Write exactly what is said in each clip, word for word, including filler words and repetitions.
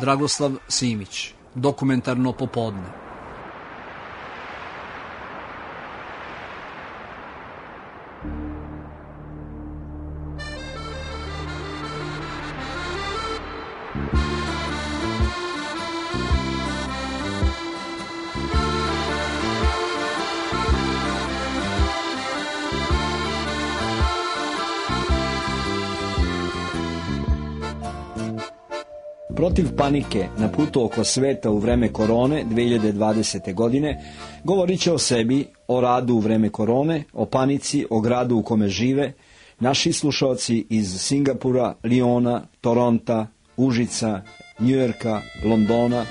Dragoslav Simić, Dokumentarno popodne. Protiv panike na putu oko sveta u vreme korone dve hiljade dvadesete. godine govorit će o sebi, o radu u vreme korone, o panici, o gradu u kome žive, naši slušalci iz Singapura, Liona, Toronta, Užica, Njujorka, Londona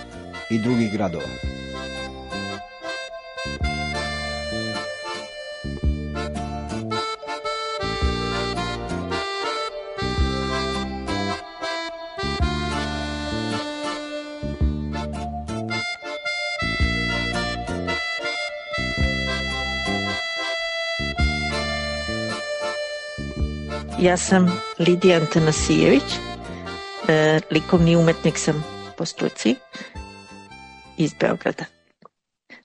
i drugih gradova. Ja sam Lidija Antanasijević, e, likovni umetnik sam po struci iz Beograda.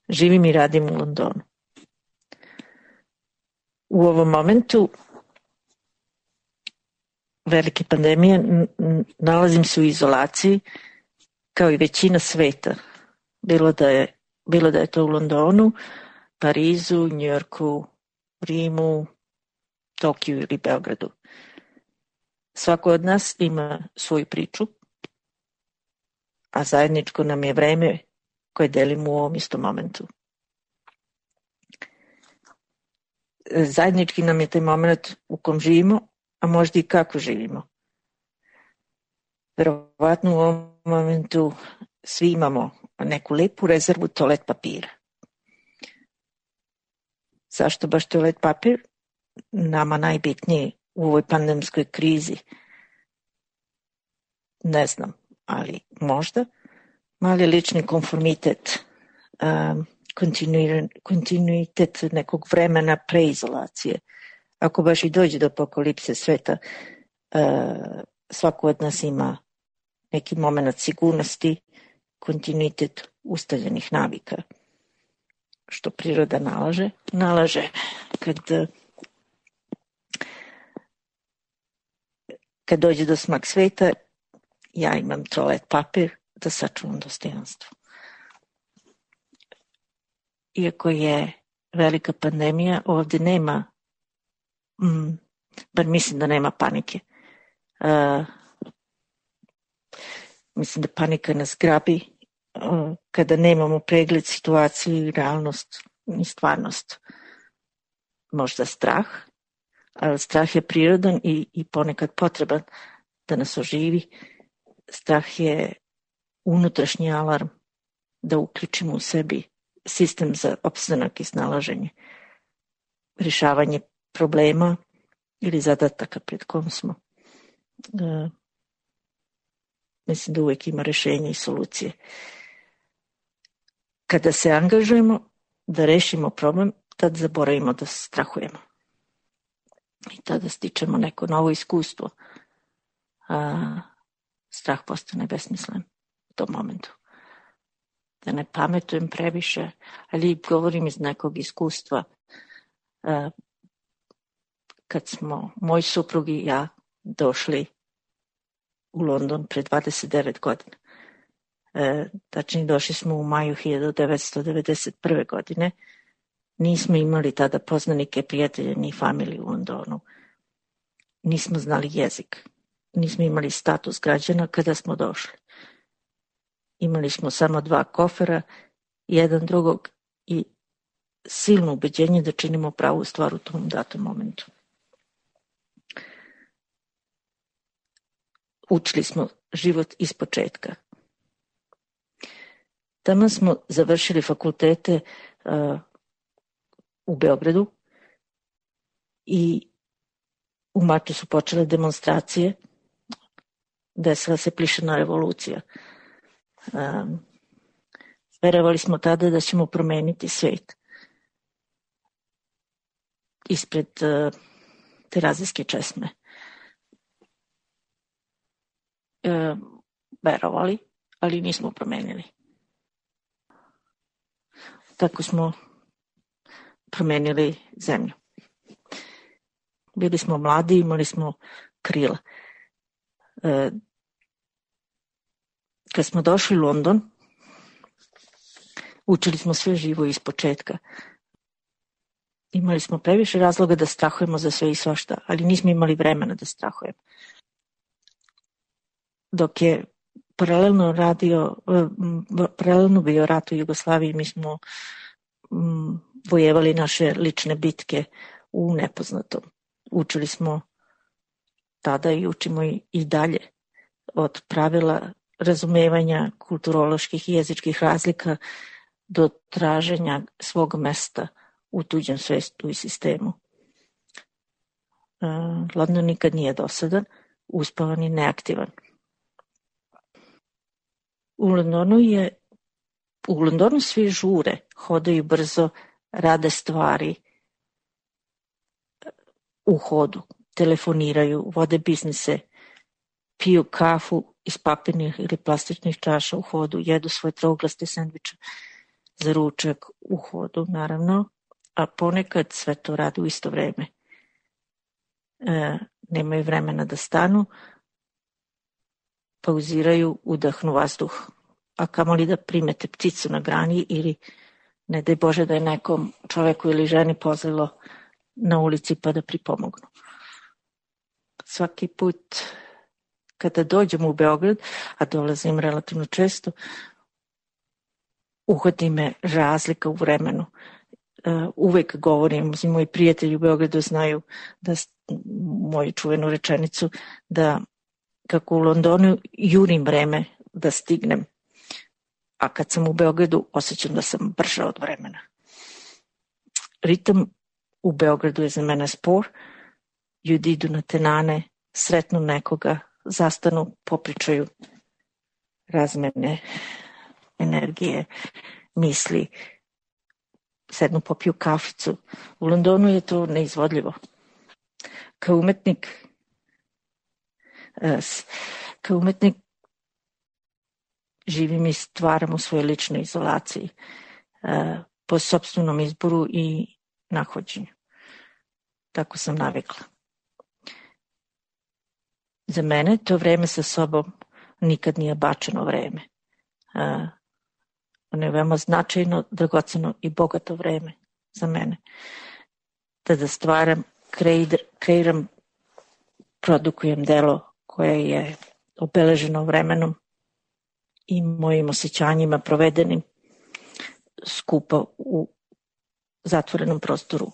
Živim i radim u Londonu. U ovom momentu velike pandemije n- n- nalazim se u izolaciji kao i većina sveta. Bilo da je, bilo da je to u Londonu, Parizu, Njujorku, Rimu, Tokiju ili Beogradu. Svako od nas ima svoju priču, a zajedničko nam je vreme koje delimo u ovom istom momentu. Zajednički nam je taj moment u kom živimo, a možda i kako živimo. Verovatno u ovom momentu svi imamo neku lepu rezervu toalet papira. Zašto baš toalet papir? Nama najbitnije u ovoj pandemskoj krizi. Ne znam, ali možda mali lični konformitet, um, kontinuitet nekog vremena preizolacije. Ako baš i dođe do apokalipse sveta, uh, svako od nas ima neki moment sigurnosti, kontinuitet ustaljenih navika. Što priroda nalaže? Nalaže kad Kad dođe do smak sveta, ja imam toalet papir da sačuvam dostojanstvo. Iako je velika pandemija, ovdje nema, mm, bar mislim da nema panike. Uh, mislim da panika nas grabi uh, kada nemamo pregled situacije, realnost i stvarnost. Možda strah, ali strah je prirodan i, i ponekad potreban da nas oživi. Strah je unutrašnji alarm da uključimo u sebi sistem za opstanak i snalaženje, rješavanje problema ili zadataka pred kojom smo. E, mislim da uvijek ima rješenja i solucije. Kada se angažujemo da rešimo problem, tad zaboravimo da strahujemo. I tada stičemo neko novo iskustvo. A, strah postane besmislen u tom momentu. Da ne pametujem previše, ali govorim iz nekog iskustva. A, kad smo moj suprug i ja došli u London pre dvadeset devet godina. E, tačnije došli smo u maju hiljadu devetsto devedeset prve. godine. Nismo imali tada poznanike, prijatelje ni familiju u Londonu. Nismo znali jezik. Nismo imali status građana kada smo došli. Imali smo samo dva kofera, jedan drugog i silno ubeđenje da činimo pravu stvar u tom datom momentu. Učili smo život iz početka. Tamo smo završili fakultete uh, u Beogradu i u martu su počele demonstracije. Desila se plišana revolucija. Um, verovali smo tada da ćemo promeniti svet. Ispred uh, Terazijske česme. Uh, verovali, ali nismo promenili. Tako smo promenili zemlju. Bili smo mladi, imali smo krila. E, kad smo došli u London, učili smo sve živo iz početka. Imali smo previše razloga da strahujemo za sve i svašta, ali nismo imali vremena da strahujemo. Dok je paralelno radio, paralelno bio rat u Jugoslaviji, mi smo mm, vojevali naše lične bitke u nepoznatom. Učili smo tada i učimo i, i dalje od pravila razumevanja kulturoloških i jezičkih razlika do traženja svog mesta u tuđem svetu i sistemu. Uh, London nikad nije dosadan, uspavan i neaktivan. U Londonu je u Londonu svi žure, hodaju brzo, rade stvari u hodu, telefoniraju, vode biznise, piju kafu iz papirnih ili plastičnih čaša u hodu, jedu svoje trouglaste sendviče za ručak u hodu, naravno, a ponekad sve to radi u isto vreme. E, nemaju vremena da stanu, pauziraju, udahnu vazduh, a kamoli da primete pticu na grani ili ne daj Bože da je nekom čoveku ili ženi pozlilo na ulici pa da pripomognu. Svaki put kada dođem u Beograd, a dolazim relativno često, uhvati me razlika u vremenu. Uh, uvek govorim, moji prijatelji u Beogradu znaju da moju čuvenu rečenicu da kako u Londonu jurim vreme da stignem, a kad sam u Beogradu osjećam da sam brža od vremena. Ritam u Beogradu je za mene spor, ljudi idu na tenane, sretnu nekoga, zastanu, popričaju, razmene energije, misli, sednu popiju kaficu. U Londonu je to neizvodljivo. Kao umetnik, kao umetnik živim i stvaram u svojoj ličnoj izolaciji, po sopstvenom izboru i nahođenju. Tako sam navikla. Za mene to vreme sa sobom nikad nije bačeno vreme. Ono je veoma značajno, dragoceno i bogato vreme za mene. Da da stvaram, kreiram, produkujem delo koje je obeleženo vremenom i mojim osjećanjima provedenim skupa u zatvorenom prostoru.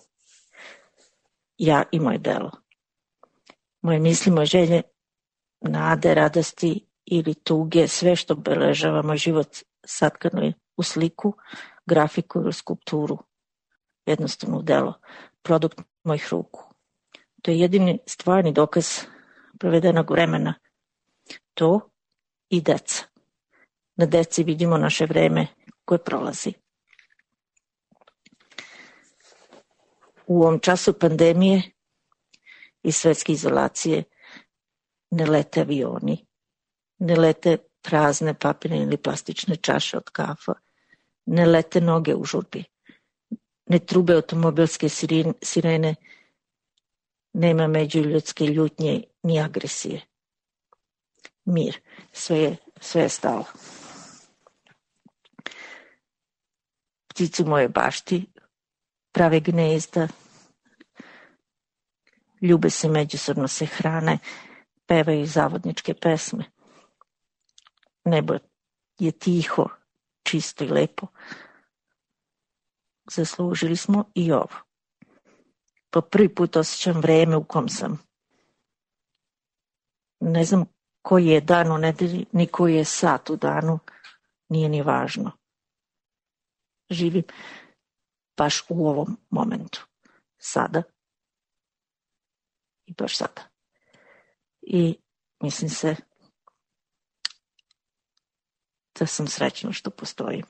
Ja i moje delo. Moje misli, moje želje, nade, radosti ili tuge, sve što obeležava moj život satkano je u sliku, grafiku ili skulpturu. Jednostavno u delo. Produkt mojih ruku. To je jedini stvarni dokaz provedenog vremena. To i deca. Na deci vidimo naše vreme koje prolazi. U ovom času pandemije i svetske izolacije ne lete avioni, ne lete prazne papirne ili plastične čaše od kafa, ne lete noge u žurbi, ne trube automobilske sirene, nema međuljudske ljutnje ni agresije. Mir, sve je, sve je stalo. Ptice u mojoj bašti prave gnezda, ljube se, međusobno se hrane, pevaju zavodničke pesme. Nebo je tiho, čisto i lepo. Zaslužili smo i ovo. Po prvi put osjećam vreme u kom sam. Ne znam koji je dan u nedelji, ni koji je sat u danu, nije ni važno. Živim baš u ovom momentu. Sada. I baš sada. I mislim se da sam srećna što postojim.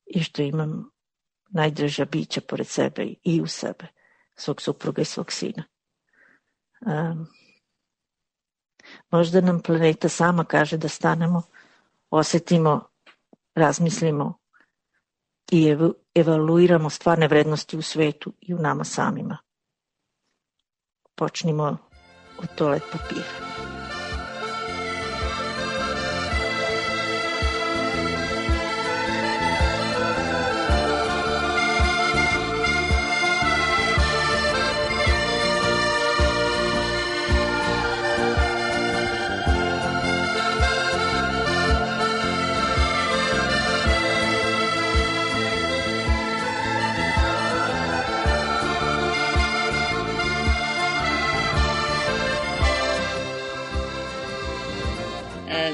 I što imam najdraža bića pored sebe i u sebe, svog supruga i svog sina. Um, Možda nam planeta sama kaže da stanemo, osetimo, razmislimo i ev- evaluiramo stvarne vrednosti u svetu i u nama samima. Počnimo od toalet papira.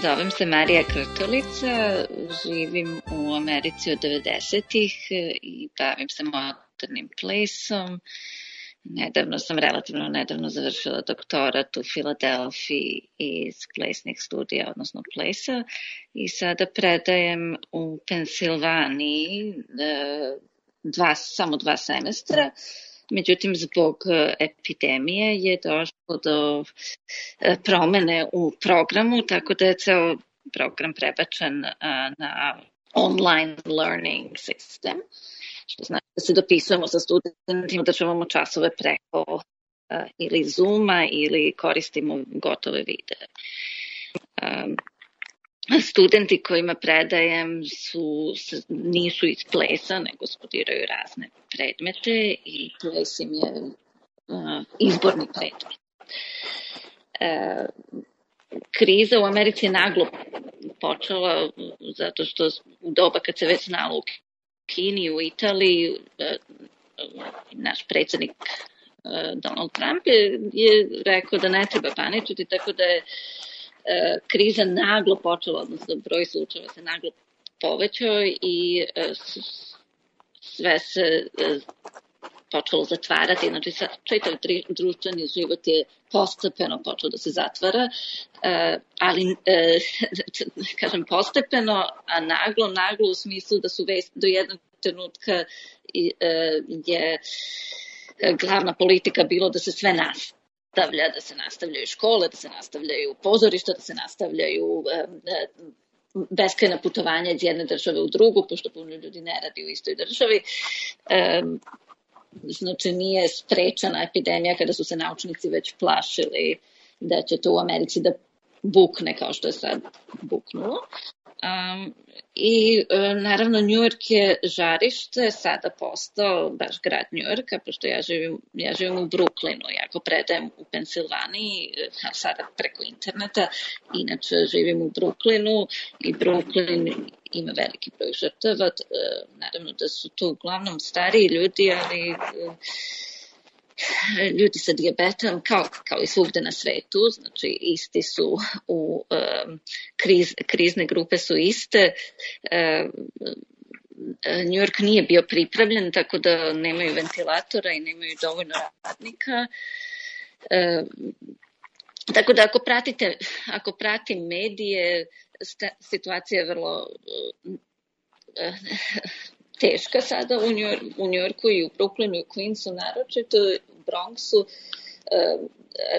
Zovem se Marija Krtolica, živim u Americi od devedesetih i bavim se modernim plesom. Nedavno sam, relativno nedavno završila doktorat u Filadelfiji iz plesnih studija, odnosno plesa, i sada predajem u Pensilvaniji dva, samo dva semestra. Međutim, zbog epidemije je došlo do promene u programu, tako da je ceo program prebačen na online learning system, što znači da se dopisujemo sa studentima, državamo časove preko ili Zooma ili koristimo gotove videe. Studenti kojima predajem su, nisu iz plesa, nego studiraju razne predmete i ples im je uh, izborni predmet. Uh, kriza u Americi je naglo počela zato što u doba kad se već znalo u Kini, u Italiji, uh, naš predsjednik uh, Donald Trump je, je rekao da ne treba paničiti, tako da je kriza naglo počela, odnosno broj slučajeva se naglo povećao i sve se počelo zatvarati, znači čitav društveni život je postepeno počeo da se zatvara, ali kažem postepeno, a naglo, naglo u smislu da su već do jednog trenutka je glavna politika bilo da se sve nastavi. Da se nastavljaju škole, da se nastavljaju pozorišta, da se nastavljaju beskrajna putovanja iz jedne države u drugu, pošto puno ljudi ne radi u istoj državi. Znači nije sprečena epidemija kada su se naučnici već plašili da će to u Americi da bukne kao što je sad buknulo. Um, I um, naravno New York je žarište sada postao baš grad New Yorka, pošto ja živim, ja živim u Brooklynu, ja ako predajem u Pensilvaniji, sada preko interneta, inače živim u Brooklynu i Brooklyn ima veliki broj žrtava, naravno da su to uglavnom stariji ljudi, ali ljudi sa dijabetom, kao, kao i svugde na svetu, znači isti su u um, kriz, krizne grupe su iste. Um, New York nije bio pripravljen, tako da nemaju ventilatora i nemaju dovoljno radnika. Um, tako da ako pratite, ako pratim medije, sta, situacija je vrlo uh, uh, teška sada u New, u New Yorku i u Brooklynu i u Queensu, naročito u Bronxu,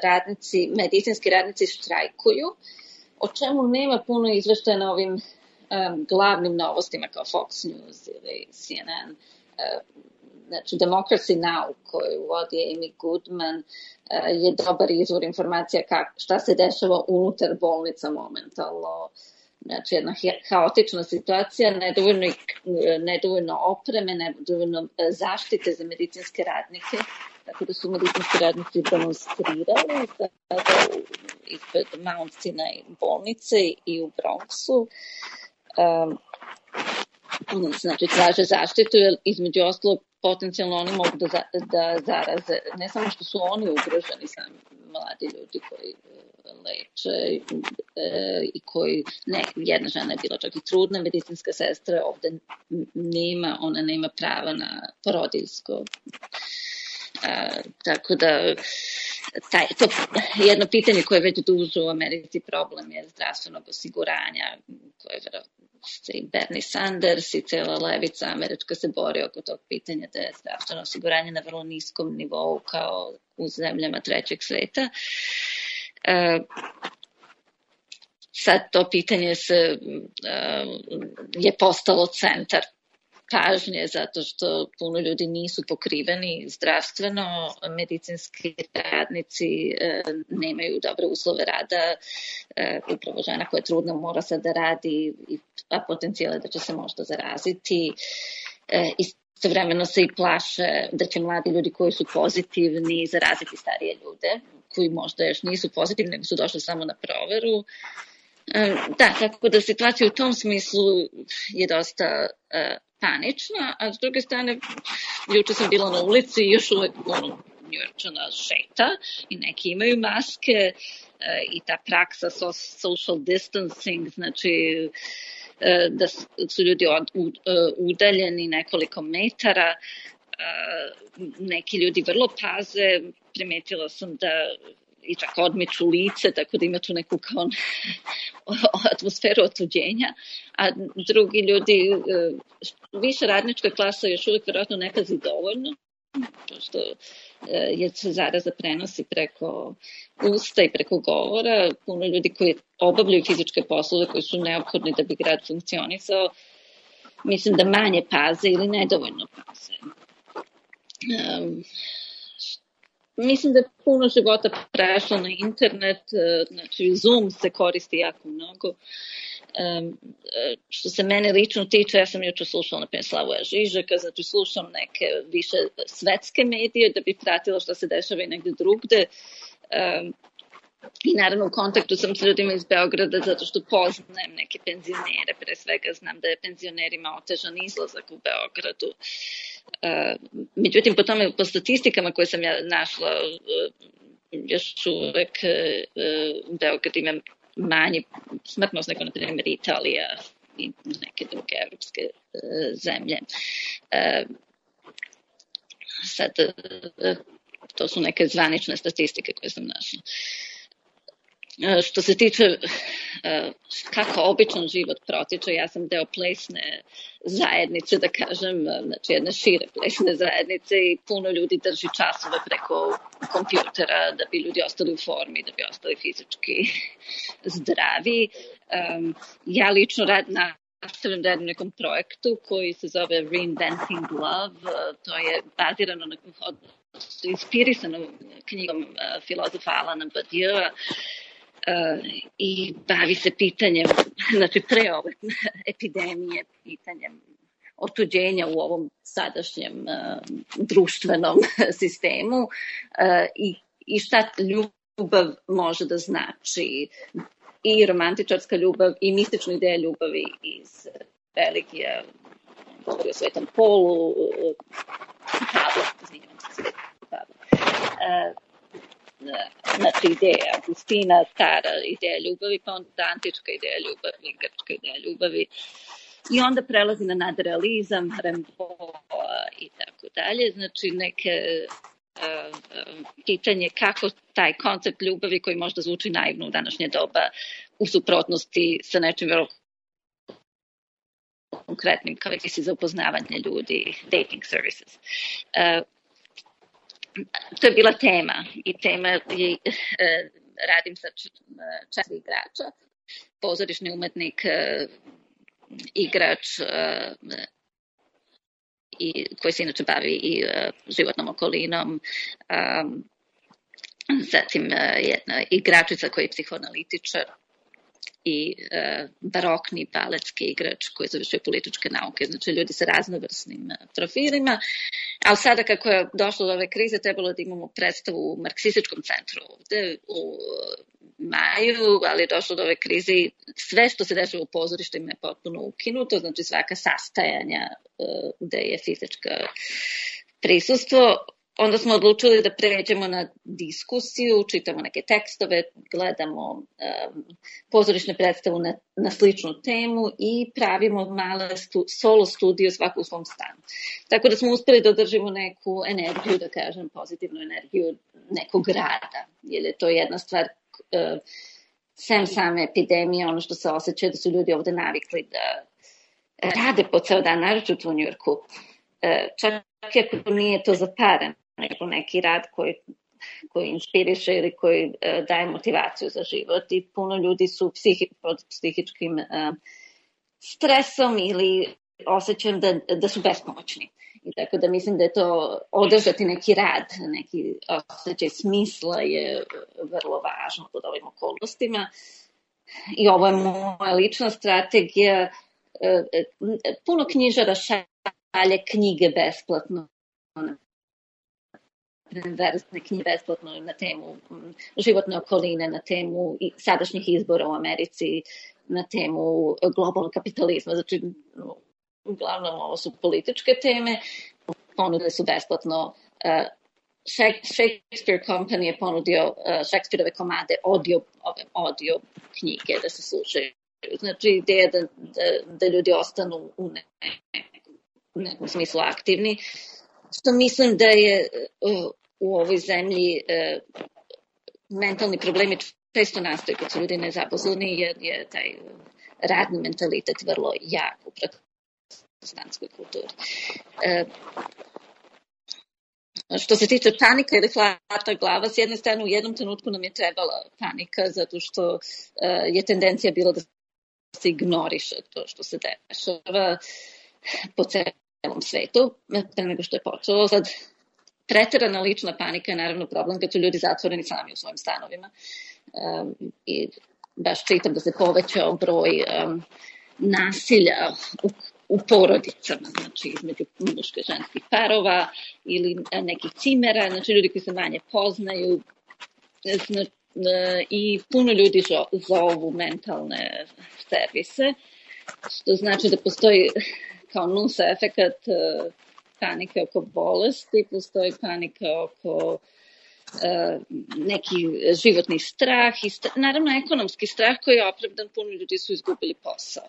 radnici, medicinski radnici štrajkuju, o čemu nema puno izveštaja na ovim um, glavnim novostima kao Fox News ili C N N. Uh, znači, Democracy Now! Koju vodi Amy Goodman uh, je dobar izvor informacija kak, šta se dešava unutar bolnica momentalno. Znači, jedna haotična situacija, nedovoljno, nedovoljno opreme, nedovoljno zaštite za medicinske radnike, tako da su medicinski radnici demonstrirali ispred Mount Sinai bolnice i u Bronxu. Um, znači, traže zaštitu, jer između ostalog potencijalno oni mogu da, za, da zaraze, ne samo što su oni ugroženi, sami mladi ljudi koji leče e, i koji, ne, jedna žena je bila čak i trudna, medicinska sestra ovde nema, ona nema prava na porodiljsko. E, tako da taj, to jedno pitanje koje je već duže u Americi problem je zdravstvenog osiguranja, koje je se i Bernie Sanders i cela levica američka se bori oko tog pitanja da je zdravstveno osiguranje na vrlo niskom nivou kao u zemljama trećeg sveta. E, sad to pitanje se, je postalo centar pažnje zato što puno ljudi nisu pokriveni zdravstveno, medicinski radnici nemaju dobre uslove rada, upravo žena koja je trudna mora sad da radi, a potencijal je da će se možda zaraziti. Istovremeno se i plaše da će mladi ljudi koji su pozitivni zaraziti starije ljude, koji možda još nisu pozitivni, nego su došli samo na proveru. Da, tako da situacija u tom smislu je dosta panična, a s druge strane, juče sam bila na ulici i još uvek ono, Njujorčana šeta i neki imaju maske i ta praksa social distancing, znači da su ljudi udaljeni nekoliko metara, neki ljudi vrlo paze, primetila sam da i čak odmiču lice, tako da ima tu neku kao atmosferu otuđenja, a drugi ljudi, više radnička klasa još uvijek vjerojatno ne pazi dovoljno, što je se zaraza prenosi preko usta i preko govora. Puno ljudi koji obavljaju fizičke poslove koji su neophodni da bi grad funkcionisao, mislim da manje paze ili nedovoljno paze. Um, Mislim da je puno života prešlo na internet, znači Zoom se koristi jako mnogo. Um, što se mene lično tiče, ja sam jučer slušala na primjer Slavoja Žižeka, znači slušam neke više svetske medije da bi pratila što se dešava i negde drugde. Um, I naravno u kontaktu sam s ljudima iz Beograda zato što poznajem neke penzionere, pre svega znam da je penzionerima otežan izlazak u Beogradu. Uh, međutim, po tome, po statistikama koje sam ja našla, uh, još uvek uh, Beograd ima manji smrtnost nego, na primjer, Italija i neke druge evropske uh, zemlje. Uh, sad, uh, to su neke zvanične statistike koje sam našla. Što se tiče kako običan život protiče, ja sam deo plesne zajednice, da kažem, znači jedne šire plesne zajednice i puno ljudi drži časove preko kompjutera da bi ljudi ostali u formi, da bi ostali fizički zdravi. Ja lično rad na nastavljam da radim nekom projektu koji se zove Reinventing Love, to je bazirano na, inspirisano knjigom filozofa Alana Badiou, Uh, i bavi se pitanjem, znači pre ove epidemije, pitanjem otuđenja u ovom sadašnjem uh, društvenom sistemu uh, i, i šta ljubav može da znači, i romantičarska ljubav i mistična ideja ljubavi iz religija, govori o Svetom Polu, uh, Pavla, izvinjavam se, Pavla. Uh, znači ideja Agustina, stara ideja ljubavi, pa onda antička ideja ljubavi, grčka ideja ljubavi i onda prelazi na nadrealizam, Rimbaud i tako dalje. Znači neke uh, pitanje kako taj koncept ljubavi koji možda zvuči naivno u današnje doba u suprotnosti sa nečim vrlo konkretnim kao servisi za upoznavanje ljudi, dating services. Uh, To je bila tema i tema je, eh, radim sa četiri igrača, pozorišni umetnik, eh, igrač eh, i, koji se inače bavi i eh, životnom okolinom, eh, zatim eh, jedna igračica koji je psihoanalitičar i e, barokni baletski igrač koji završio političke nauke, znači ljudi sa raznovrsnim profilima, ali sada kako je došlo do ove krize trebalo da imamo predstavu u marksističkom centru ovde u maju, ali je došlo do ove krize i sve što se dešava u pozorištima je potpuno ukinuto, znači svaka sastajanja e, gde je fizička prisustvo. Onda smo odlučili da pređemo na diskusiju, čitamo neke tekstove, gledamo um, pozorišne predstavu na, na sličnu temu i pravimo male stu, solo studiju svako u svom stanu. Tako da smo uspeli da održimo neku energiju, da kažem, pozitivnu energiju nekog rada, jer je to jedna stvar, uh, sem same epidemije, ono što se osjeća da su ljudi ovde navikli da rade po ceo dan, naročito u Njujorku. Uh, čak ako nije to za pare, nego neki rad koji koji inspiriše ili koji uh, daje motivaciju za život i puno ljudi su psihi, pod psihičkim uh, stresom ili osjećam da, da su bespomoćni. I tako da mislim da je to održati neki rad, neki osjećaj smisla je vrlo važno pod ovim okolnostima. I ovo je moja lična strategija. Puno knjižara šalje knjige besplatno, verzne knjige besplatno na temu životne okoline, na temu sadašnjih izbora u Americi, na temu globalnog kapitalizma. Znači, uglavnom ovo su političke teme, ponudili su besplatno. Shakespeare Company je ponudio Shakespeareove komade audio, audio knjige da se slušaju. Znači, ideja da, da, da ljudi ostanu u ne, u nekom smislu aktivni, što mislim da je uh, u ovoj zemlji uh, mentalni problemi često nastaju kad su ljudi nezaposleni, jer je taj radni mentalitet vrlo jak u protestantskoj kulturi. Uh, Što se tiče panika ili hlata glava, s jedne strane u jednom trenutku nam je trebala panika zato što uh, je tendencija bila da se ignoriše to što se dešava po celom svetu, pre nego što je počelo. Sad, preterana lična panika je naravno problem kad su ljudi zatvoreni sami u svojim stanovima. Um, I baš čitam da se povećao broj um, nasilja u u porodicama, znači između muško i ženskih parova ili nekih cimera, znači ljudi koji se manje poznaju, znači, i puno ljudi zovu mentalne servise, što znači da postoji kao nus efekat panike oko bolesti, postoji panika oko uh, neki životni strah i st- naravno ekonomski strah koji je opravdan, puno ljudi su izgubili posao.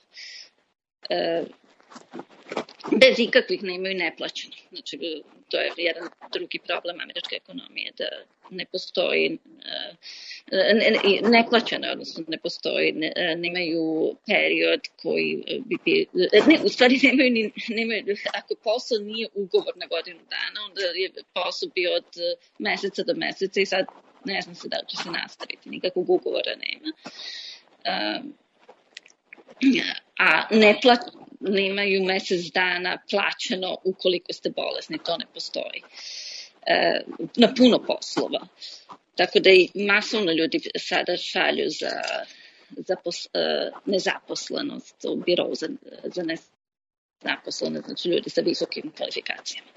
Uh, bez ikakvih ne imaju neplaćeno. Znači, to je jedan drugi problem američke ekonomije, da ne postoji ne, neplaćeno, odnosno ne postoji, ne, nemaju period koji bi, bi ne, u stvari nemaju, ni, nemaju, ako posao nije ugovor na godinu dana, onda je posao bio od meseca do meseca i sad ne znam se da će se nastaviti, nikakvog ugovora nema. Um, a neplaćeno nemaju mesec dana plaćeno ukoliko ste bolesni, to ne postoji. E, na puno poslova. Tako da i masovno ljudi sada šalju za, za pos, e, nezaposlenost u birou za, za nezaposlenost, znači ljudi sa visokim kvalifikacijama.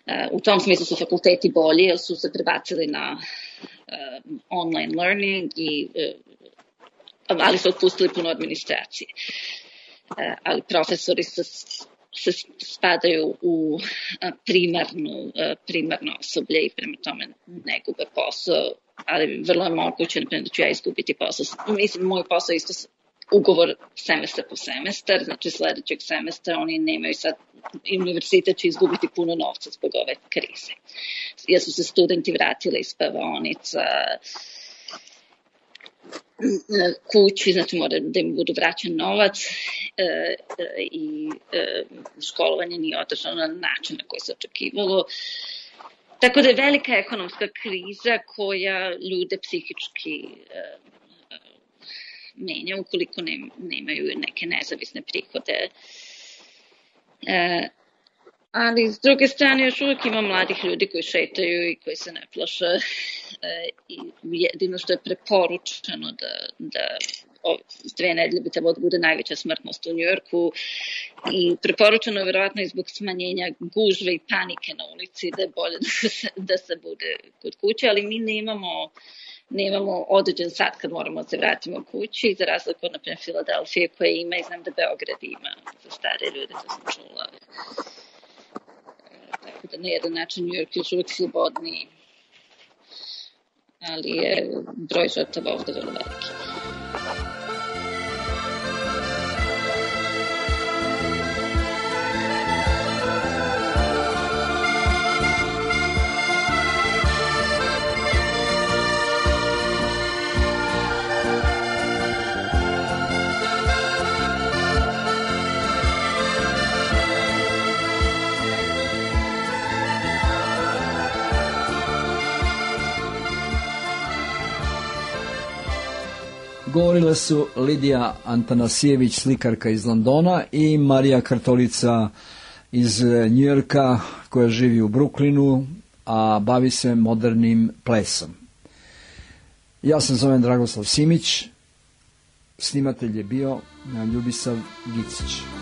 E, u tom smislu su fakulteti bolji, jer su se prebacili na e, online learning, i, e, ali su otpustili puno administracije. Ali profesori se, se spadaju u primarnu, primarno osoblje i prema tome ne gube posao, ali vrlo je moguće da ću ja izgubiti posao. Mislim, moj posao je isto ugovor semestar po semestar, znači sledećeg semestra oni nemaju sad, univerzitet će izgubiti puno novca zbog ove krize. Jer su se studenti vratili iz spavaonica kući, znači mora da im budu vraćan novac e, e, i e, školovanje nije održano na način na koji se očekivalo. Tako da je velika ekonomska kriza koja ljude psihički e, e, menja ukoliko ne, nemaju neke nezavisne prihode. E, ali s druge strane još uvijek ima mladih ljudi koji šetaju i koji se ne plaše, e, i jedino što je preporučeno da, da o, dve nedelje bi trebalo da bude najveća smrtnost u Njujorku, i preporučeno je verovatno i zbog smanjenja gužve i panike na ulici da je bolje da se, da se bude kod kuće, ali mi nemamo nemamo određen sat kad moramo da se vratimo kući, za razliku od, naprimjer, Filadelfije koja ima, i znam da Beograd ima za stare ljude, to sam čula. Tako da na jedan način New York je još uvijek slobodniji, ali je broj žrtava ovde vrlo veliki. Govorile su Lidija Antanasijević, slikarka iz Londona, i Marija Kartolica iz Njujorka, koja živi u Brooklynu, a bavi se modernim plesom. Ja se zovem Dragoslav Simić, snimatelj je bio Ljubisav Gicić.